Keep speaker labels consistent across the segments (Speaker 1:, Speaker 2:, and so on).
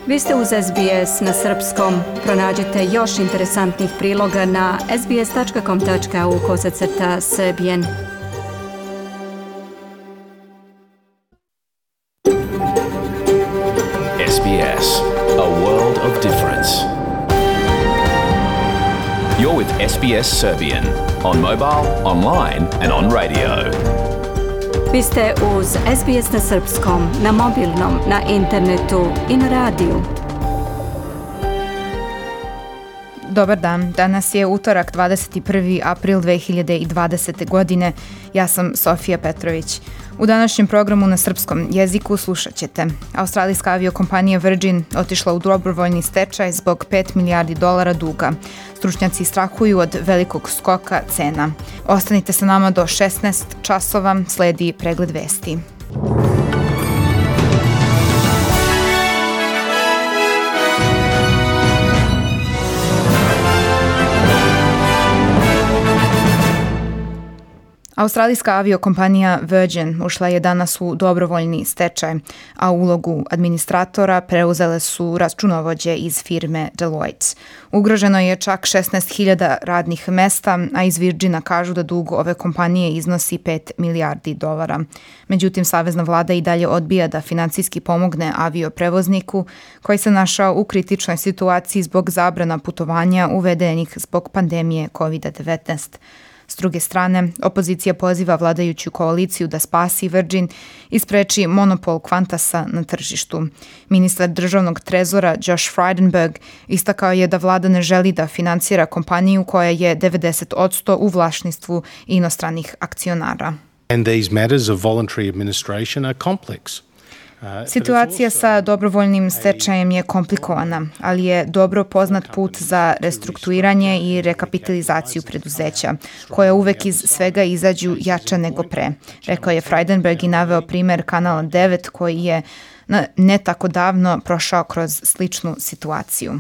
Speaker 1: Vi ste uz SBS na srpskom. Pronađite još interesantnih priloga na sbs.com.au/serbian.
Speaker 2: SBS, a world of difference. You're with SBS Serbian on mobile, online and on radio.
Speaker 1: Vi ste uz SBS na srpskom, na mobilnom, na internetu i na radiju.
Speaker 3: Dobar dan, danas je utorak 21. april 2020. godine. Ja sam Sofija Petrović. U današnjem programu na srpskom jeziku slušat ćete. Australijska aviokompanija Virgin otišla u dobrovoljni stečaj zbog $5 milijardi duga. Stručnjaci strahuju od velikog skoka cena. Ostanite sa nama do 16 časova, sledi pregled vesti. Australijska aviokompanija Virgin ušla je danas u dobrovoljni stečaj, a ulogu administratora preuzele su računovođe iz firme Deloitte. Ugroženo je čak 16.000 radnih mesta, a iz Virgina kažu da dug ove kompanije iznosi $5 milijardi. Međutim, savezna vlada i dalje odbija da finansijski pomogne avioprevozniku koji se našao u kritičnoj situaciji zbog zabrana putovanja uvedenih zbog pandemije COVID-19. S druge strane, opozicija poziva vladajuću koaliciju da spasi Virgin i spreči monopol Qantasa na tržištu. Ministar državnog trezora Josh Frydenberg istakao je da vlada ne želi da finansira kompaniju koja je 90% u vlasništvu inostranih akcionara.
Speaker 4: And these matters of voluntary administration are complex.
Speaker 3: Situacija sa dobrovoljnim stečajem je komplikovana, ali je dobro poznat put za restrukturiranje i rekapitalizaciju preduzeća, koja uvek iz svega izađu jača nego pre, rekao je Frydenberg i naveo primer Kanala 9 koji je ne tako davno prošao kroz sličnu situaciju.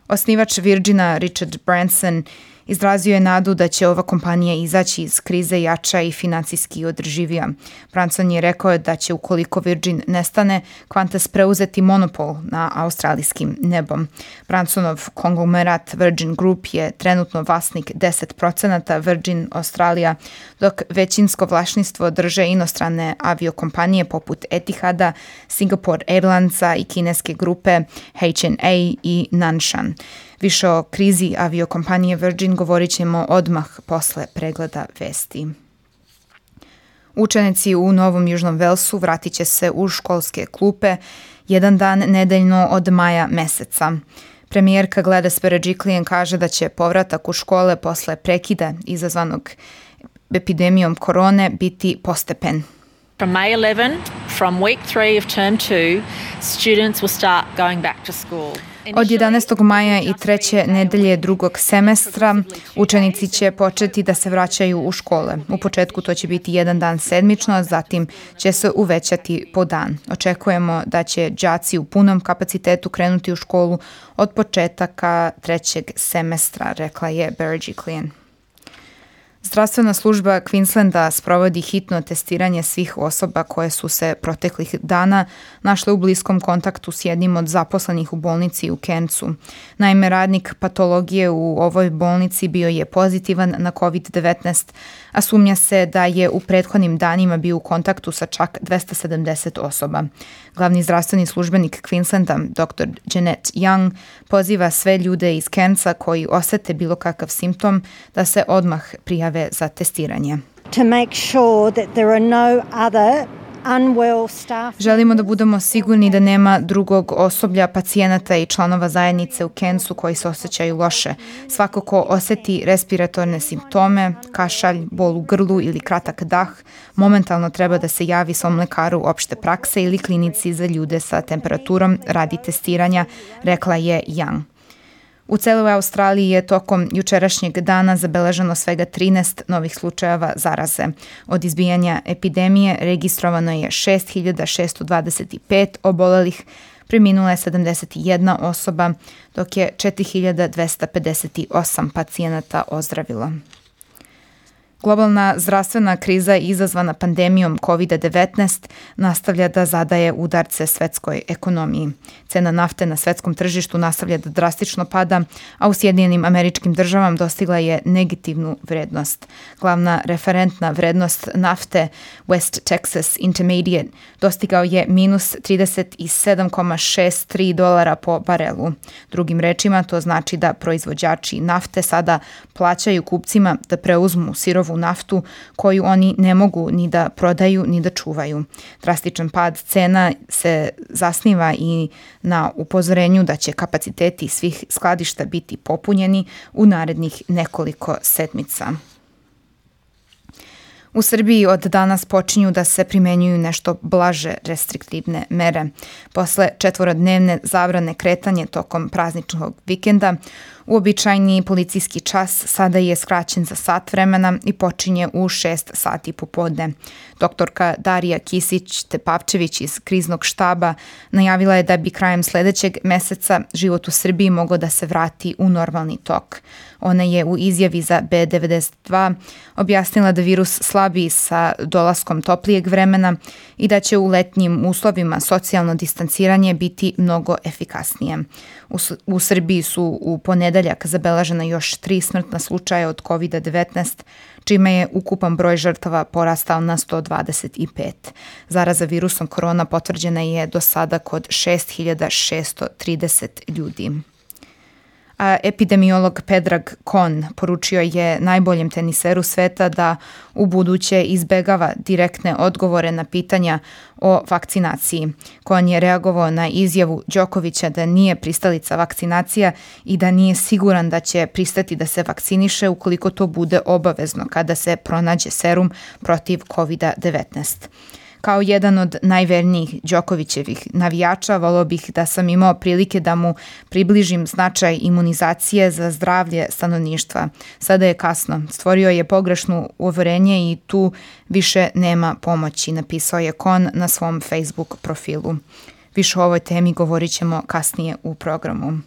Speaker 3: Osnivač Virgina Richard Branson izrazio je nadu da će ova kompanija izaći iz krize jača i financijski održivija. Branson je rekao da će, ukoliko Virgin nestane, Qantas preuzeti monopol na australijskim nebom. Bransonov konglomerat Virgin Group je trenutno vlasnik 10% Virgin Australia, dok većinsko vlasništvo drže inostrane aviokompanije poput Etihada, Singapore Airlinesa i kineske grupe HNA i Nanshan. Više o krizi aviokompanije Virgin govorit ćemo odmah posle pregleda vesti. Učenici u Novom Južnom Velsu vratit će se u školske klupe jedan dan nedeljno od maja meseca. Premijerka Gladys Berejiklian kaže da će povratak u škole posle prekida izazvanog epidemijom korone biti postepen.
Speaker 5: From May 11, from week 3 of term 2, students will start going back to school.
Speaker 3: Od 11. maja i treće nedelje drugog semestra učenici će početi da se vraćaju u škole. U početku to će biti jedan dan sedmično, zatim će se uvećati po dan. Očekujemo da će đaci u punom kapacitetu krenuti u školu od početaka trećeg semestra, rekla je Berejiklian. Zdravstvena služba Queenslanda sprovodi hitno testiranje svih osoba koje su se proteklih dana našle u bliskom kontaktu s jednim od zaposlenih u bolnici u Cairnsu. Naime, radnik patologije u ovoj bolnici bio je pozitivan na COVID-19, a sumnja se da je u prethodnim danima bio u kontaktu sa čak 270 osoba. Glavni zdravstveni službenik Queenslanda, dr. Jeanette Young, poziva sve ljude iz Cairnsa koji osete bilo kakav simptom da se odmah prijave za testiranje.
Speaker 6: To make sure that there are no other unwell staff.
Speaker 3: Želimo da budemo sigurni da nema drugog osoblja, pacijenata i članova zajednice u Cairnsu koji se osjećaju loše. Svako ko osjeti respiratorne simptome, kašalj, bol u grlu ili kratak dah, momentalno treba da se javi svom lekaru opšte prakse ili klinici za ljude sa temperaturom radi testiranja, rekla je Young. U celoj Australiji je tokom jučerašnjeg dana zabeleženo svega 13 novih slučajeva zaraze. Od izbijanja epidemije registrovano je 6.625 obolelih, preminula je 71 osoba, dok je 4.258 pacijenata ozdravilo. Globalna zdravstvena kriza izazvana pandemijom COVID-19 nastavlja da zadaje udarce svetskoj ekonomiji. Cena nafte na svetskom tržištu nastavlja da drastično pada, a u Sjedinjenim Američkim Državama dostigla je negativnu vrednost. Glavna referentna vrednost nafte West Texas Intermediate dostigao je minus $37,63 po barelu. Drugim rečima, to znači da proizvođači nafte sada plaćaju kupcima da preuzmu sirovu naftu koju oni ne mogu ni da prodaju ni da čuvaju. Drastičan pad cena se zasniva i na upozorenju da će kapaciteti svih skladišta biti popunjeni u narednih nekoliko sedmica. U Srbiji od danas počinju da se primenjuju nešto blaže restriktivne mere. Posle 4-dnevne zabrane kretanja tokom prazničnog vikenda, uobičajeni policijski čas sada je skraćen za sat vremena i počinje u 6 sati popodne. Doktorka Darija Kisić-Tepavčević iz kriznog štaba najavila je da bi krajem sledećeg meseca život u Srbiji mogao da se vrati u normalni tok. Ona je u izjavi za B92 objasnila da virus slabi sa dolaskom toplijeg vremena i da će u letnjim uslovima socijalno distanciranje biti mnogo efikasnije. U Srbiji su u ponedeljak zabeležena još 3 smrtna slučaja od COVID-19, čime je ukupan broj žrtava porastao na 125. Zaraza virusom korona potvrđena je do sada kod 6.630 ljudi. A epidemiolog Predrag Kon poručio je najboljem teniseru sveta da u buduće izbegava direktne odgovore na pitanja o vakcinaciji. Kon je reagovao na izjavu Đokovića da nije pristalica vakcinacija i da nije siguran da će pristati da se vakciniše ukoliko to bude obavezno kada se pronađe serum protiv COVID-19. Kao jedan od najvernijih Đokovićevih navijača, voleo bih da sam imao prilike da mu približim značaj imunizacije za zdravlje stanovništva. Sada je kasno. Stvorio je pogrešno uverenje i tu više nema pomoći, napisao je Kon na svom Facebook profilu. Više o ovoj temi govorit ćemo kasnije u programu.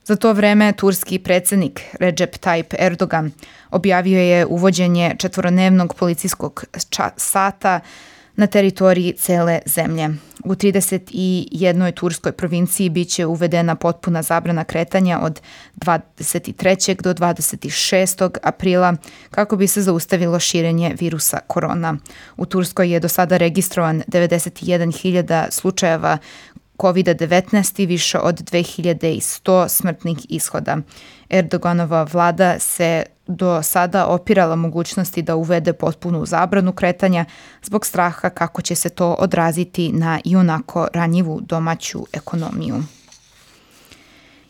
Speaker 3: Za to vreme turski predsjednik Recep Tayyip Erdogan objavio je uvođenje 4-dnevnog policijskog sata na teritoriji cele zemlje. U 31. turskoj provinciji biće uvedena potpuna zabrana kretanja od 23. do 26. aprila kako bi se zaustavilo širenje virusa korona. U Turskoj je do sada registrovan 91.000 slučajeva COVID-19 i više od 2100 smrtnih ishoda. Erdoganova vlada se do sada opirala mogućnosti da uvede potpunu zabranu kretanja zbog straha kako će se to odraziti na ionako ranjivu domaću ekonomiju.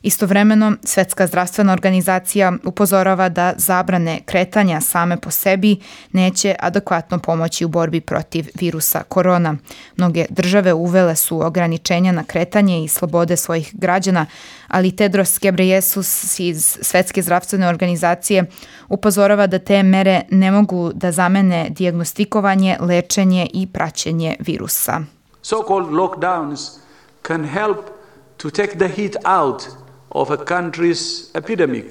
Speaker 3: Istovremeno, Svetska zdravstvena organizacija upozorava da zabrane kretanja same po sebi neće adekvatno pomoći u borbi protiv virusa korona. Mnoge države uvele su ograničenja na kretanje i slobode svojih građana, ali Tedros Ghebreyesus iz Svetske zdravstvene organizacije upozorava da te mere ne mogu da zamene dijagnostikovanje, lečenje i praćenje virusa.
Speaker 7: So-called lockdowns can help to take the heat out of a country's epidemic.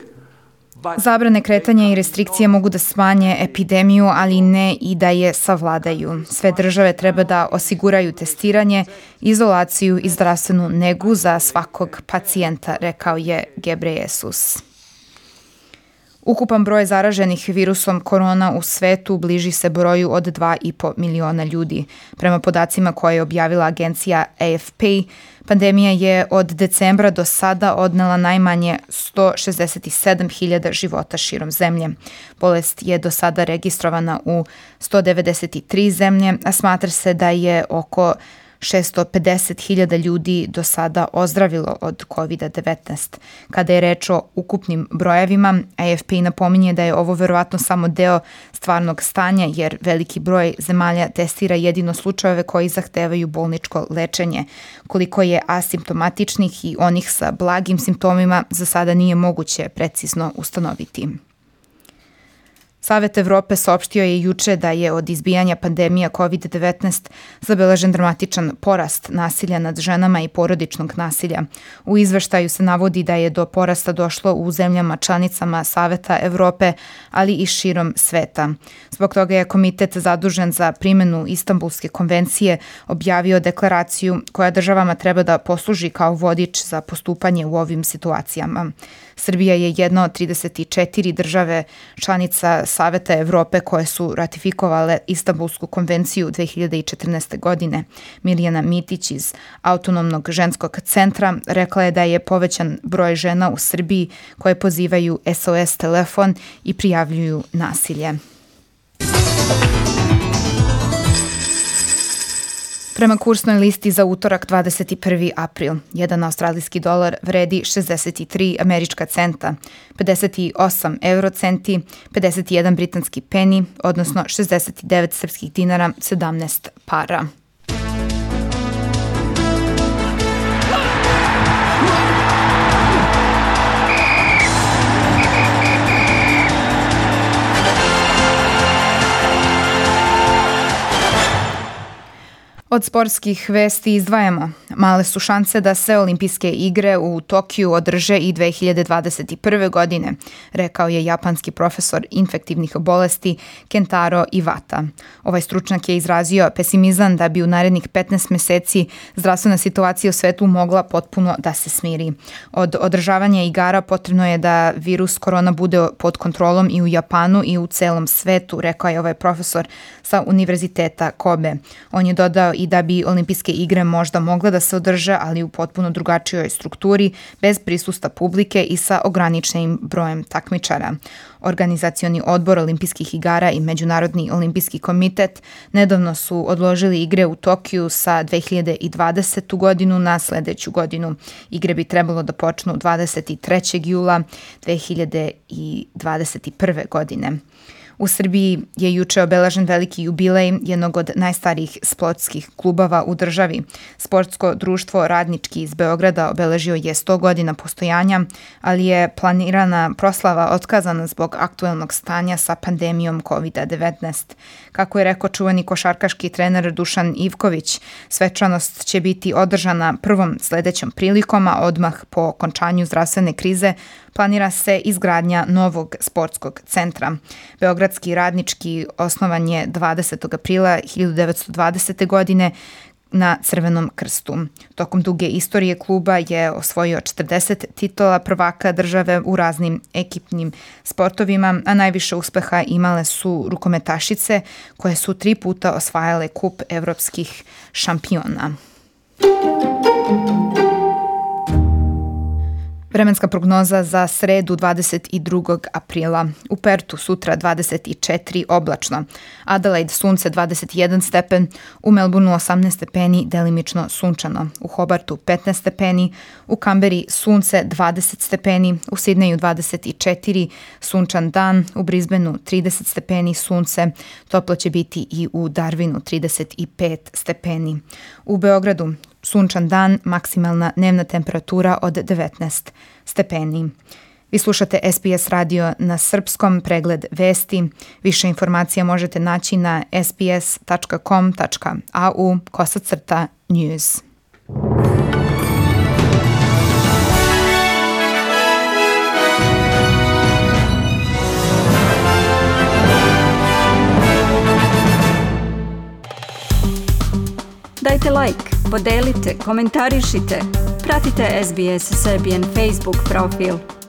Speaker 3: Zabrane kretanja i restrikcije mogu da smanje epidemiju, ali ne i da je savladaju. Sve države treba da osiguraju testiranje, izolaciju i zdravstvenu negu za svakog pacijenta, rekao je Ghebreyesus. Ukupan broj zaraženih virusom korona u svetu bliži se broju od 2,5 miliona ljudi. Prema podacima koje je objavila agencija AFP, pandemija je od decembra do sada odnela najmanje 167.000 života širom zemlje. Bolest je do sada registrovana u 193 zemlje, a smatra se da je oko 650.000 ljudi do sada ozdravilo od COVID-19. Kada je reč o ukupnim brojevima, AFP napominje da je ovo verovatno samo deo stvarnog stanja, jer veliki broj zemalja testira jedino slučajeve koji zahtevaju bolničko lečenje. Koliko je asimptomatičnih i onih sa blagim simptomima za sada nije moguće precizno ustanoviti. Savet Evrope saopštio je juče da je od izbijanja pandemija COVID-19 zabeležen dramatičan porast nasilja nad ženama i porodičnog nasilja. U izveštaju se navodi da je do porasta došlo u zemljama članicama Saveta Evrope, ali i širom sveta. Zbog toga je komitet zadužen za primjenu Istanbulske konvencije objavio deklaraciju koja državama treba da posluži kao vodič za postupanje u ovim situacijama. Srbija je jedna od 34 države članica Saveta Evrope koje su ratifikovale Istanbulsku konvenciju 2014. godine. Mirjana Mitić iz Autonomnog ženskog centra rekla je da je povećan broj žena u Srbiji koje pozivaju SOS telefon i prijavljuju nasilje. Prema kursnoj listi za utorak 21. april, jedan australijski dolar vredi 63 američka centa, 58 eurocenti, 51 britanski peni, odnosno 69 srpskih dinara, 17 para. Od sportskih vesti izdvajamo. Male su šanse da se olimpijske igre u Tokiju održe i 2021. godine, rekao je japanski profesor infektivnih bolesti Kentaro Iwata. Ovaj stručnjak je izrazio pesimizam da bi u narednih 15 meseci zdravstvena situacija u svetu mogla potpuno da se smiri. Od održavanja igara potrebno je da virus korona bude pod kontrolom i u Japanu i u celom svetu, rekao je ovaj profesor sa Univerziteta Kobe. On je dodao i da bi olimpijske igre možda mogle da se održe, ali u potpuno drugačijoj strukturi, bez prisustva publike i sa ograničenim brojem takmičara. Organizacioni odbor olimpijskih igara i Međunarodni olimpijski komitet nedavno su odložili igre u Tokiju sa 2020. godinu na sledeću godinu. Igre bi trebalo da počnu 23. jula 2021. godine. U Srbiji je juče obeležen veliki jubilej jednog od najstarijih sportskih klubova u državi. Sportsko društvo Radnički iz Beograda obeležio je 100 godina postojanja, ali je planirana proslava otkazana zbog aktuelnog stanja sa pandemijom COVID-19. Kako je rekao čuveni košarkaški trener Dušan Ivković, svečanost će biti održana prvom sledećom prilikom, a odmah po okončanju zdravstvene krize planira se izgradnja novog sportskog centra. Beogradski Radnički osnovan je 20. aprila 1920. godine na Crvenom krstu. Tokom duge istorije kluba je osvojio 40 titula prvaka države u raznim ekipnim sportovima, a najviše uspeha imale su rukometašice koje su 3 puta osvajale kup evropskih šampiona. Vremenska prognoza za sredu 22. aprila. U Pertu sutra 24 oblačno. Adelaide sunce 21 stepen, u Melbourneu 18 stepeni, delimično sunčano. U Hobartu 15 stepeni, u Kamberi sunce 20 stepeni, u Sidneju 24 sunčan dan, u Brisbaneu 30 stepeni sunce, toplo će biti i u Darwinu 35 stepeni. U Beogradu sunčan dan, maksimalna dnevna temperatura od 19 stepeni. Vi slušate SBS radio na srpskom, pregled vesti. Više informacija možete naći na sbs.com.au/news.
Speaker 1: Dajte like, podelite, komentarišite. Pratite SBS Serbian Facebook profil.